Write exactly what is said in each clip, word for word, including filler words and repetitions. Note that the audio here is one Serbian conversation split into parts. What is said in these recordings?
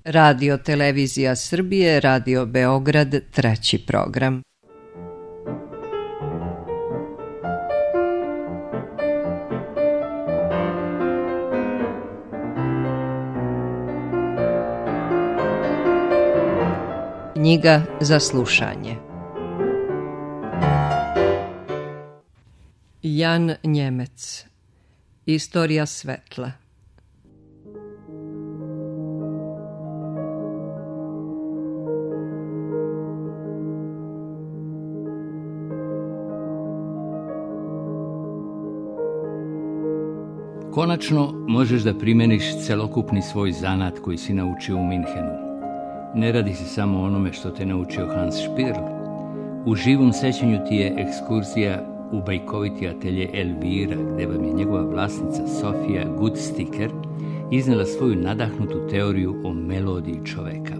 Radio Televizija Srbije, Radio Beograd, treći program. Knjiga za slušanje. Jan Njemec. Istorija svetla. Konačno možeš da primeniš celokupni svoj zanat koji si naučio u Minhenu. Ne radi se samo o onome što te naučio Hans Špirl. U živom sećanju ti je ekskurzija u bajkoviti atelje Elvira, gde vam je njegova vlasnica Sofija Gudsticker iznela svoju nadahnutu teoriju o melodiji čoveka.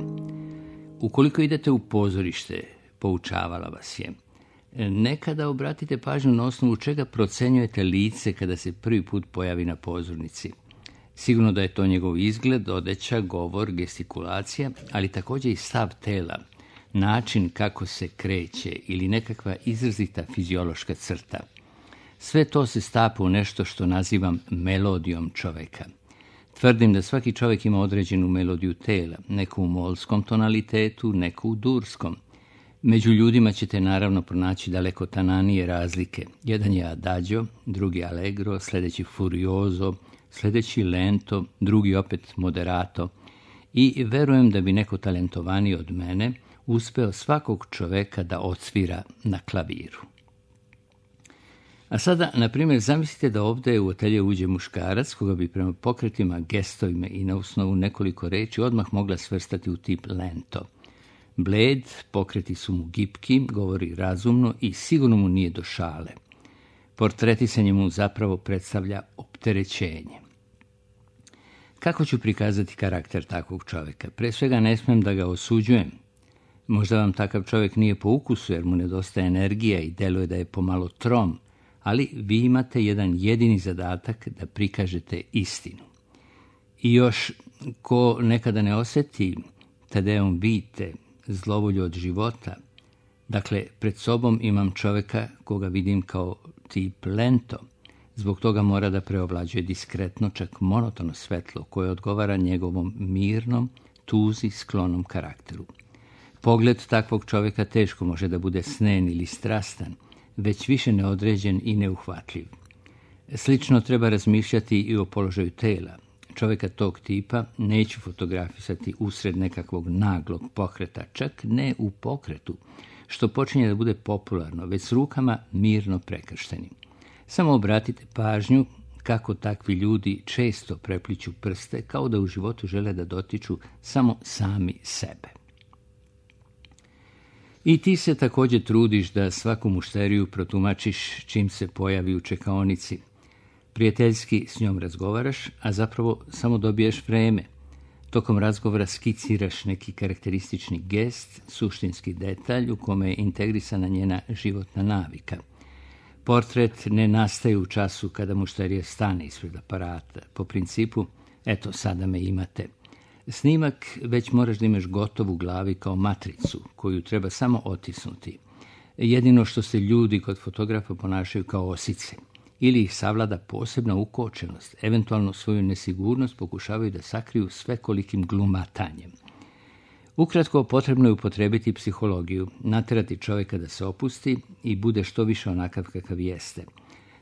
Ukoliko idete u pozorište, poučavala vas je, nekada obratite pažnju na osnovu čega procenjujete lice kada se prvi put pojavi na pozornici. Sigurno da je to njegov izgled, odeća, govor, gestikulacija, ali također i stav tela, način kako se kreće ili nekakva izrazita fiziološka crta. Sve to se stapa u nešto što nazivam melodijom čoveka. Tvrdim da svaki čovjek ima određenu melodiju tela, neku u molskom tonalitetu, neku u durskom. Među ljudima ćete naravno pronaći daleko tananije razlike. Jedan je adagio, drugi allegro, sljedeći furioso, sljedeći lento, drugi opet moderato. I verujem da bi neko talentovaniji od mene uspeo svakog čoveka da odsvira na klaviru. A sada, na primjer, zamislite da ovdje u atelje uđe muškarac koga bi prema pokretima, gestovima i na osnovu nekoliko reči odmah mogla svrstati u tip lento. Bled, pokreti su mu gipki, govori razumno i sigurno mu nije do šale. Portretisanje mu zapravo predstavlja opterećenje. Kako ću prikazati karakter takvog čovjeka? Pre svega ne smijem da ga osuđujem. Možda vam takav čovjek nije po ukusu jer mu nedostaje energija i deluje da je pomalo trom, ali vi imate jedan jedini zadatak da prikažete istinu. I još, ko nekada ne osjeti Tadeum vite, zlovolju od života, dakle, pred sobom imam čovjeka koga vidim kao tip lento. Zbog toga mora da preovlađuje diskretno, čak monotono svetlo koje odgovara njegovom mirnom, tuzi sklonom karakteru. Pogled takvog čovjeka teško može da bude snen ili strastan, već više neodređen i neuhvatljiv. Slično treba razmišljati i o položaju tela. Čovjeka tog tipa neću fotografisati usred nekakvog naglog pokreta, čak ne u pokretu, što počinje da bude popularno, već s rukama mirno prekrštenim. Samo obratite pažnju kako takvi ljudi često prepliću prste, kao da u životu žele da dotiču samo sami sebe. I ti se također trudiš da svaku mušteriju protumačiš čim se pojavi u čekaonici. Prijateljski s njom razgovaraš, a zapravo samo dobiješ vreme. Tokom razgovora skiciraš neki karakteristični gest, suštinski detalj u kome je integrisana njena životna navika. Portret ne nastaje u času kada mušterija stane ispred aparata. Po principu, eto, sada me imate. Snimak već moraš da imaš gotov u glavi kao matricu, koju treba samo otisnuti. Jedino što se ljudi kod fotografa ponašaju kao osice. Ili ih savlada posebna ukočenost, eventualno svoju nesigurnost pokušavaju da sakriju svekolikim glumatanjem. Ukratko, potrebno je upotrebiti psihologiju, naterati čovjeka da se opusti i bude što više onakav kakav jeste.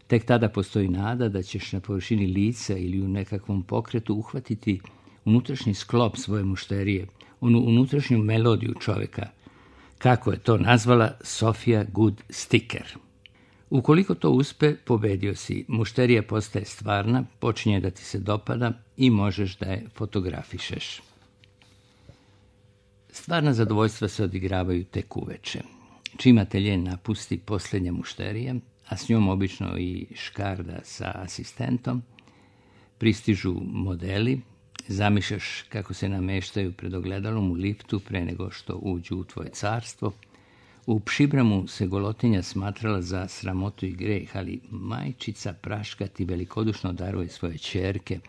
Tek tada postoji nada da ćeš na površini lica ili u nekakvom pokretu uhvatiti unutrašnji sklop svoje mušterije, onu unutrašnju melodiju čovjeka, kako je to nazvala Sofija Gudsticker. Ukoliko to uspe, pobedio si, mušterija postaje stvarna, počinje da ti se dopada i možeš da je fotografišeš. Stvarna zadovoljstva se odigravaju tek uveče. Čim atelje napusti posljednja mušterija, a s njom obično i škarda sa asistentom, pristižu modeli, zamišljaš kako se nameštaju pred ogledalom u liftu pre nego što uđu u tvoje carstvo. U Pšibramu se golotinja smatrala za sramotu i greh, ali majčica Praška ti velikodušno daruje svoje ćerke,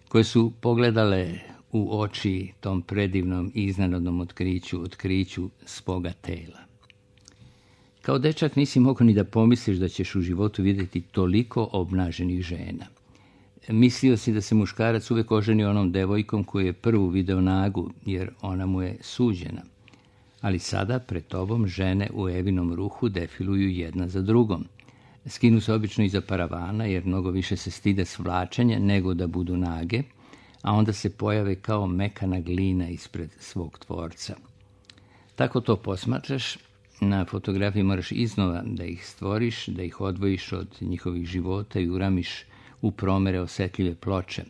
koje su pogledale u oči tom predivnom i iznenadnom otkriću, otkriću svoga tela. Kao dečak nisi mogao ni da pomisliš da ćeš u životu vidjeti toliko obnaženih žena. Mislio si da se muškarac uvijek oženi onom devojkom koju je prvu video nagu, jer ona mu je suđena. Ali sada pred tobom žene u Evinom ruhu defiluju jedna za drugom. Skinu se obično iza paravana, jer mnogo više se stide svlačenja nego da budu nage, a onda se pojave kao mekana glina ispred svog tvorca. Tako to posmatraš, na fotografiji moraš iznova da ih stvoriš, da ih odvojiš od njihovih života i uramiš u promere osetljive ploče,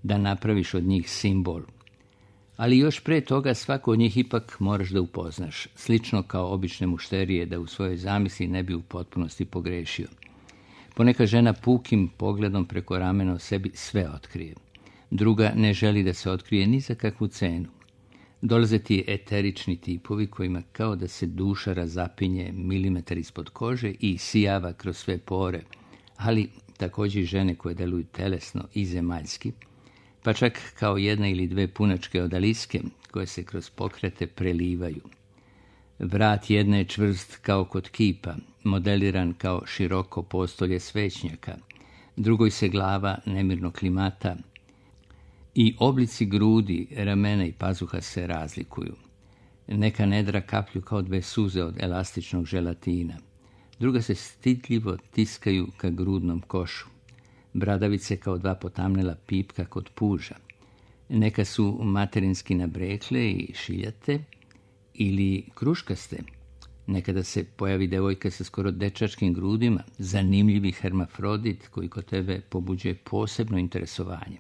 da napraviš od njih simbol. Ali još pre toga svako od njih ipak moraš da upoznaš, slično kao obične mušterije, da u svojoj zamisli ne bi u potpunosti pogrešio. Poneka žena pukim pogledom preko ramena o sebi sve otkrije. Druga ne želi da se otkrije ni za kakvu cenu. Dolaze ti eterični tipovi kojima kao da se duša razapinje milimetar ispod kože i sijava kroz sve pore, ali također i žene koje deluju telesno i zemaljski, pa čak kao jedna ili dve punačke odaliske koje se kroz pokrete prelivaju. Vrat jedne je čvrst kao kod kipa, modeliran kao široko postolje svećnjaka, drugoj se glava nemirno klimata i oblici grudi, ramena i pazuha se razlikuju. Neka nedra kaplju kao dve suze od elastičnog želatina, druga se stidljivo tiskaju ka grudnom košu. Bradavice kao dva potamnela pipka kod puža. Neka su materinski nabrekle i šiljate ili kruškaste. Nekada se pojavi devojka sa skoro dečačkim grudima, zanimljivi hermafrodit koji kod tebe pobuđuje posebno interesovanje.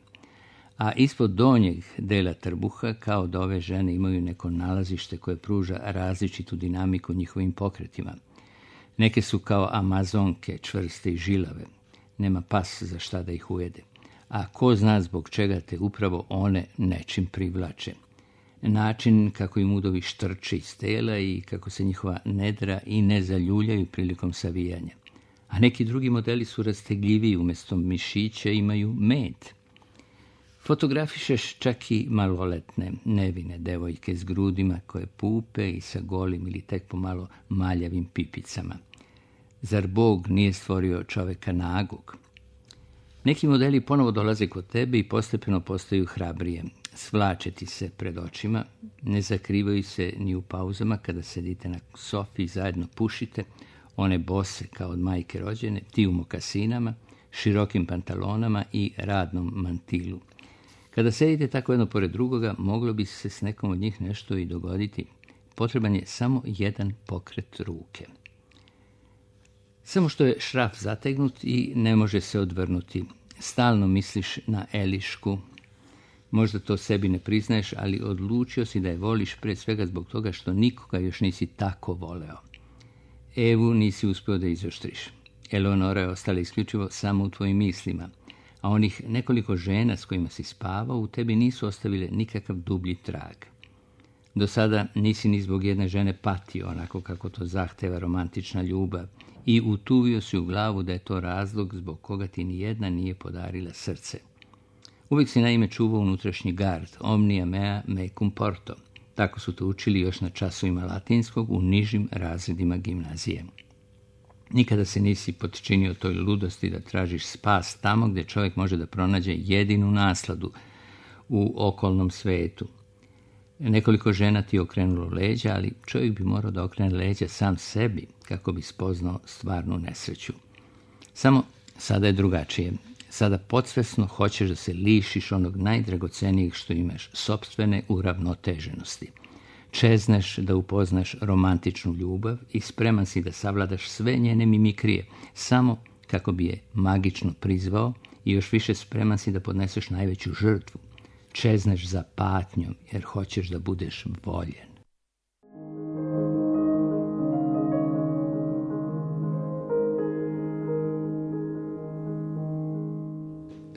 A ispod donjeg dela trbuha kao da ove žene imaju neko nalazište koje pruža različitu dinamiku njihovim pokretima. Neke su kao amazonke, čvrste i žilave. Nema pas za šta da ih ujede. A ko zna zbog čega te upravo one nečim privlače. Način kako im udovi štrče iz tela i kako se njihova nedra i ne zaljuljaju prilikom savijanja. A neki drugi modeli su rastegljiviji, umjesto mišića imaju med. Fotografišeš čak i maloletne, nevine devojke s grudima koje pupe i sa golim ili tek pomalo maljavim pipicama. Zar Bog nije stvorio čoveka nagog? Neki modeli ponovo dolaze kod tebe i postepeno postaju hrabrije. Svlače ti se pred očima, ne zakrivaju se ni u pauzama kada sedite na sofi i zajedno pušite, one bose kao od majke rođene, ti u mokasinama, širokim pantalonama i radnom mantilu. Kada sedite tako jedno pored drugoga, moglo bi se s nekom od njih nešto i dogoditi. Potreban je samo jedan pokret ruke. Samo što je šraf zategnut i ne može se odvrnuti. Stalno misliš na Elišku. Možda to sebi ne priznaješ, ali odlučio si da je voliš pre svega zbog toga što nikoga još nisi tako voleo. Evu nisi uspio da izoštriš. Eleonora je ostala isključivo samo u tvojim mislima, a onih nekoliko žena s kojima si spavao u tebi nisu ostavile nikakav dublji trag. Do sada nisi ni zbog jedne žene patio onako kako to zahteva romantična ljubav i utuvio si u glavu da je to razlog zbog koga ti ni jedna nije podarila srce. Uvijek si naime čuvao unutrašnji gard, omnia mea mecum porto. Tako su to učili još na časovima latinskog u nižim razredima gimnazije. Nikada se nisi potčinio toj ludosti da tražiš spas tamo gdje čovjek može da pronađe jedinu nasladu u okolnom svetu. Nekoliko žena ti je okrenulo leđa, ali čovjek bi morao da okrene leđa sam sebi kako bi spoznao stvarnu nesreću. Samo sada je drugačije. Sada podsvesno hoćeš da se lišiš onog najdragocenijeg što imaš, sopstvene uravnoteženosti. Čezneš da upoznaš romantičnu ljubav i spreman si da savladaš sve njene mimikrije, samo kako bi je magično prizvao i još više spreman si da podneseš najveću žrtvu. Čezneš za patnjom jer hoćeš da budeš voljen.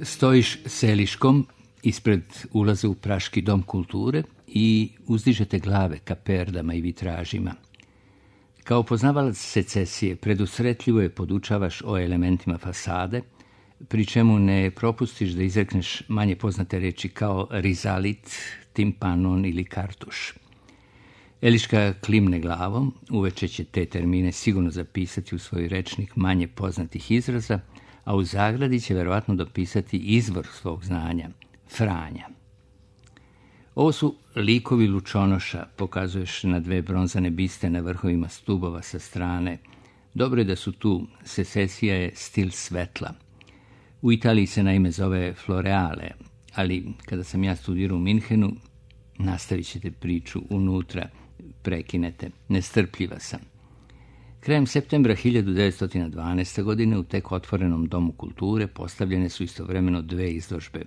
Stojiš seliškom ispred ulaza u Praški dom kulture i uzdižete glave ka perdama i vitražima. Kao poznavalac secesije, predusretljivo je podučavaš o elementima fasade, pri čemu ne propustiš da izrekneš manje poznate reči kao rizalit, timpanon ili kartuš. Eliška klimne glavom, uveče će te termine sigurno zapisati u svoj rečnik manje poznatih izraza, a u zagradi će verovatno dopisati izvor svog znanja, Franja. Ovo su likovi lučonoša, pokazuješ na dve bronzane biste na vrhovima stubova sa strane. Dobro je da su tu, secesija je stil svetla. U Italiji se naime zove floreale, ali kada sam ja studirao u Minhenu, nastavit ćete priču unutra, prekinete, nestrpljiva sam. Krajem septembra hiljadu devetsto dvanaeste. godine u tek otvorenom Domu kulture postavljene su istovremeno dve izložbe.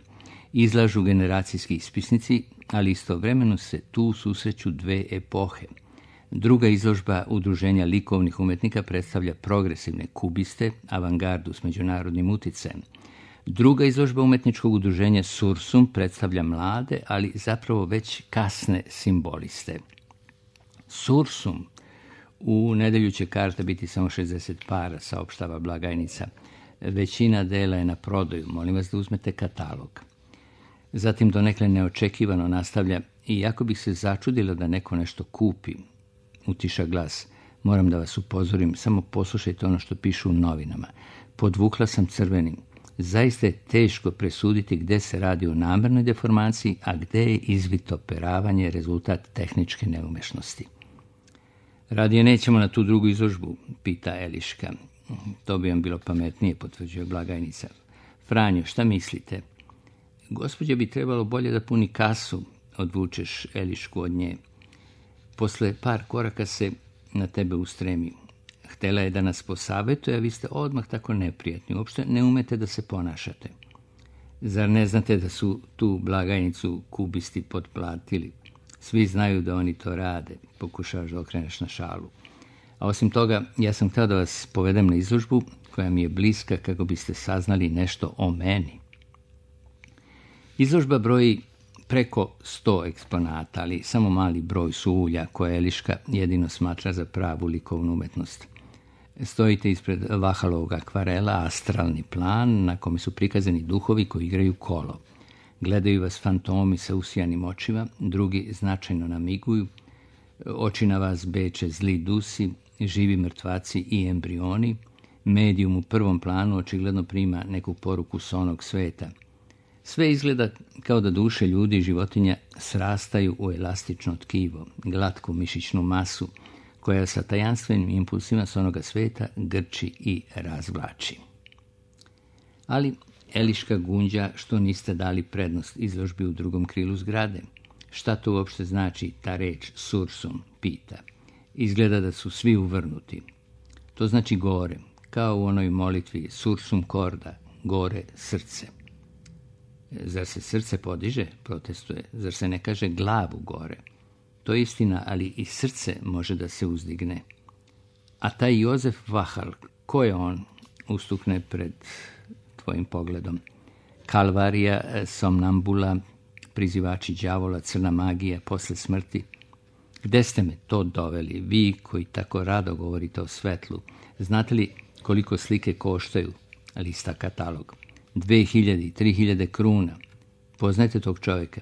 Izlažu generacijski ispisnici, ali istovremeno se tu susreću dve epohe. Druga izložba Udruženja likovnih umetnika predstavlja progresivne kubiste, avangardu s međunarodnim uticajem. Druga izložba umetničkog udruženja Sursum predstavlja mlade, ali zapravo već kasne simboliste. Sursum, u nedelju će karta biti samo šezdeset para, saopštava blagajnica. Većina dela je na prodaju, molim vas da uzmete katalog. Zatim donekle neočekivano nastavlja, i jako bih se začudila da neko nešto kupi. Utiša glas. Moram da vas upozorim, samo poslušajte ono što pišu u novinama. Podvukla sam crvenim. Zaista je teško presuditi gde se radi o namernoj deformaciji, a gde je izvitoperavanje rezultat tehničke neumešnosti. Radije nećemo na tu drugu izložbu, pita Eliška. To bi vam bilo pametnije, potvrđuje blagajnica. Franjo, šta mislite? Gospođa bi trebalo bolje da puni kasu, odvučeš Elišku od nje. Posle par koraka se na tebe ustremi. Htela je da nas posavetuje, a vi ste odmah tako neprijatni. Uopšte ne umete da se ponašate. Zar ne znate da su tu blagajnicu kubisti potplatili? Svi znaju da oni to rade, pokušavaš da okreneš na šalu. A osim toga, ja sam htio da vas povedem na izložbu koja mi je bliska kako biste saznali nešto o meni. Izložba broji preko sto eksponata, ali samo mali broj su ulja koje Eliška jedino smatra za pravu likovnu umetnost. Stojite ispred Vahalovog akvarela, astralni plan, na kome su prikazani duhovi koji igraju kolo. Gledaju vas fantomi sa usijanim očima, drugi značajno namiguju, oči na vas beče zli dusi, živi mrtvaci i embrioni, medijum u prvom planu očigledno prima neku poruku s onog sveta. Sve izgleda kao da duše ljudi i životinja srastaju u elastično tkivo, glatku mišićnu masu, koja sa tajanstvenim impulsima s onoga sveta grči i razvlači. Ali Eliška gunđa što niste dali prednost izložbi u drugom krilu zgrade. Šta to uopšte znači ta reč sursum, pita. Izgleda da su svi uvrnuti. To znači gore, kao u onoj molitvi sursum corda, gore srce. Zar se srce podiže, protestuje, zar se ne kaže glavu gore? To je istina, ali i srce može da se uzdigne. A taj Jozef Vahal, ko je on, ustukne pred tvojim pogledom? Kalvarija, somnambula, prizivači đavola, crna magija, posle smrti. Gde ste me to doveli, vi koji tako rado govorite o svetlu? Znate li koliko slike koštaju? Lista katalog. Dve hiljade i tri hiljade kruna. Poznajete tog čovjeka?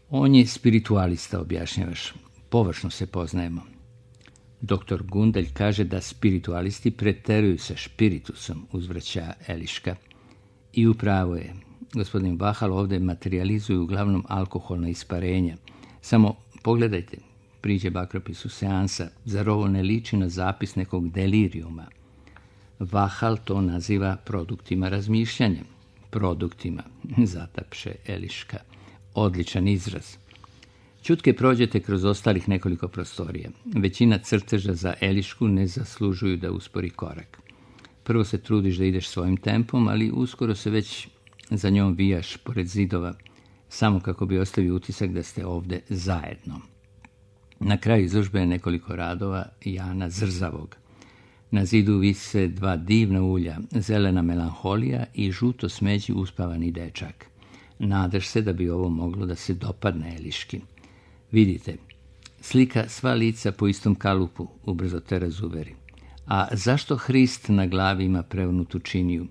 On je spiritualista, objašnjavaš. Površno se poznajemo. Doktor Gundelj kaže da spiritualisti preteruju sa špiritusom, uzvraća Eliška. I upravo je. Gospodin Vahal ovdje materializuju uglavnom alkoholna isparenja. Samo pogledajte, priđe bakropisu seansa, zar ovo ne liči na zapis nekog delirijuma? Vahal to naziva produktima razmišljanja. Produktima, zatapše Eliška. Odličan izraz. Ćutke prođete kroz ostalih nekoliko prostorija. Većina crteža za Elišku ne zaslužuju da uspori korak. Prvo se trudiš da ideš svojim tempom, ali uskoro se već za njom vijaš pored zidova, samo kako bi ostavio utisak da ste ovde zajedno. Na kraju izložbe je nekoliko radova Jana Zrzavog. Na zidu vise dva divna ulja, zelena melanholija i žuto smeđi uspavani dečak. Nadaš se da bi ovo moglo da se dopadne Eliški. Vidite, slika sva lica po istom kalupu, ubrzo te razuveri. A zašto Hrist na glavi ima prevnutu činiju?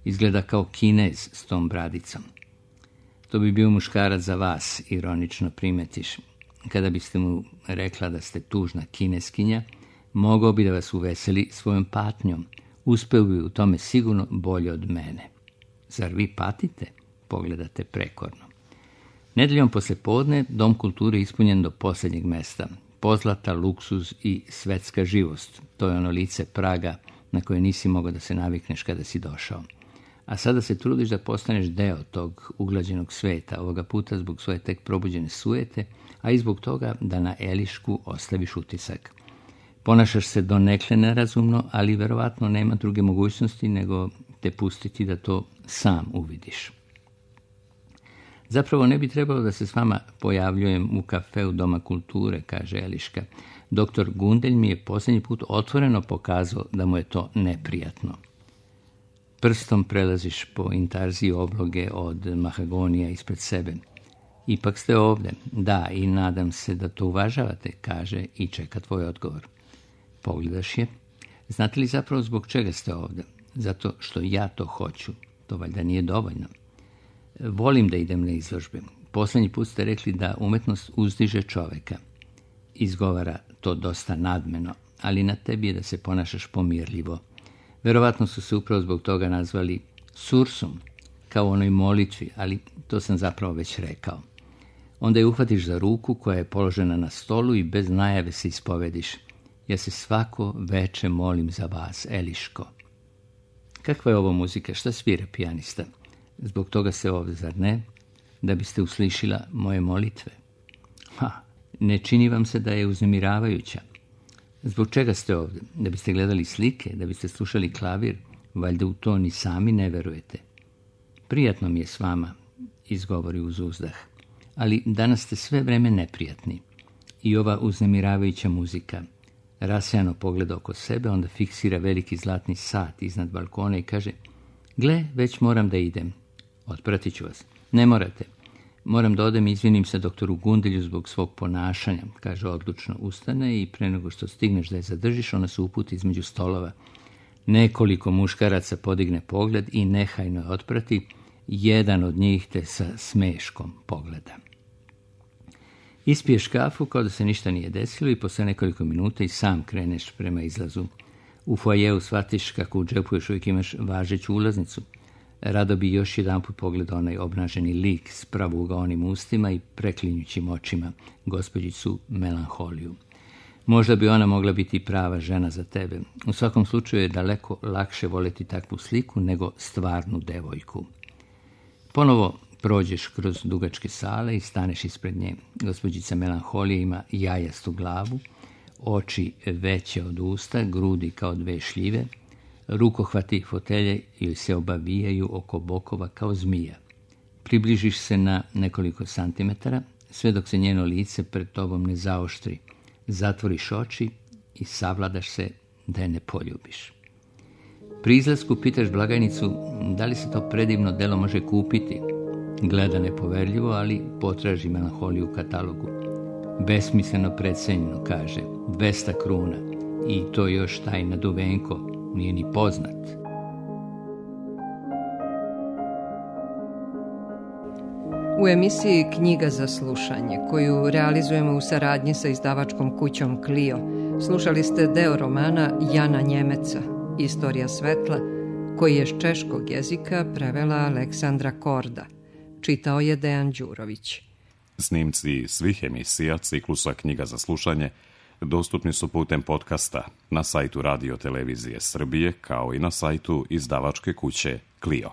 Izgleda kao Kinez s tom bradicom. To bi bio muškarac za vas, ironično primetiš. Kada biste mu rekla da ste tužna Kineskinja, mogao bi da vas uveseli svojom patnjom. Uspeo bi u tome sigurno bolje od mene. Zar vi patite? Pogledate prekorno. Nedeljom poslepodne Dom kulture ispunjen do posljednjeg mesta. Pozlata, luksuz i svetska živost. To je ono lice Praga na koje nisi mogao da se navikneš kada si došao. A sada se trudiš da postaneš deo tog uglađenog sveta, ovoga puta zbog svoje tek probuđene sujete, a i zbog toga da na Elišku ostaviš utisak. Ponašaš se donekle nerazumno, ali verovatno nema druge mogućnosti nego te pustiti da to sam uvidiš. Zapravo ne bi trebalo da se s vama pojavljujem u kafeu Doma kulture, kaže Eliška. Doktor Gundelj mi je posljednji put otvoreno pokazao da mu je to neprijatno. Prstom prelaziš po intarziji obloge od mahagonija ispred sebe. Ipak ste ovde. Da, i nadam se da to uvažavate, kaže i čeka tvoj odgovor. Pogledaš je. Znate li zapravo zbog čega ste ovde? Zato što ja to hoću. To valjda nije dovoljno. Volim da idem na izložbe. Posljednji put ste rekli da umetnost uzdiže čoveka. Izgovara to dosta nadmeno, ali na tebi je da se ponašaš pomirljivo. Verovatno su se upravo zbog toga nazvali sursum, kao u onoj molitvi, ali to sam zapravo već rekao. Onda je uhvatiš za ruku koja je položena na stolu i bez najave se ispovediš. Ja se svako veče molim za vas, Eliško. Kakva je ovo muzika? Šta svira pijanista? Zbog toga se ovdje, zar ne? Da biste uslišila moje molitve. Ha, ne čini vam se da je uznemiravajuća. Zbog čega ste ovdje? Da biste gledali slike, da biste slušali klavir, valjda u to ni sami ne verujete. Prijatno mi je s vama, izgovori uz uzdah, ali danas ste sve vreme neprijatni. I ova uznemiravajuća muzika. Rasejano pogleda oko sebe, onda fiksira veliki zlatni sat iznad balkona i kaže: gle, već moram da idem. Otpratit ću vas. Ne morate. Moram da odem i izvinim se doktoru Gundelju zbog svog ponašanja, kaže odlučno, ustane i pre nego što stigneš da je zadržiš, ona se uputi između stolova. Nekoliko muškaraca podigne pogled i nehajno je otprati, jedan od njih te sa smeškom pogleda. Ispiješ kafu kao da se ništa nije desilo i posle nekoliko minuta i sam kreneš prema izlazu. U foajeu shvatiš kako u džepu još uvijek imaš važeću ulaznicu. Rado bi još jedan put pogledao onaj obnaženi lik s pravougaonim ustima i preklinjućim očima, gospođicu Melanholiju. Možda bi ona mogla biti prava žena za tebe. U svakom slučaju je daleko lakše voljeti takvu sliku nego stvarnu devojku. Ponovo prođeš kroz dugačke sale i staneš ispred nje. Gospođica Melanholija ima jajastu glavu, oči veće od usta, grudi kao dve šljive, rukohvati fotelje ili se obavijaju oko bokova kao zmija. Približiš se na nekoliko santimetara, sve dok se njeno lice pred tobom ne zaoštri. Zatvoriš oči i savladaš se da je ne poljubiš. Pri izlasku pitaš blagajnicu da li se to predivno delo može kupiti. Gleda nepoverljivo, ali potraži Melanholiju u katalogu. Besmisleno precenjeno, kaže, dvesta kruna. I to još taj naduvenko nije ni poznat. U emisiji Knjiga za slušanje, koju realizujemo u saradnji sa izdavačkom kućom Clio, slušali ste deo romana Jana Njemeca, Istorija svetla, koji je s češkog jezika prevela Aleksandra Korda. Čitao je Dejan Đurović. Snimci svih emisija ciklusa Knjiga za slušanje dostupni su putem podcasta na sajtu Radio Televizije Srbije, kao i na sajtu izdavačke kuće Clio.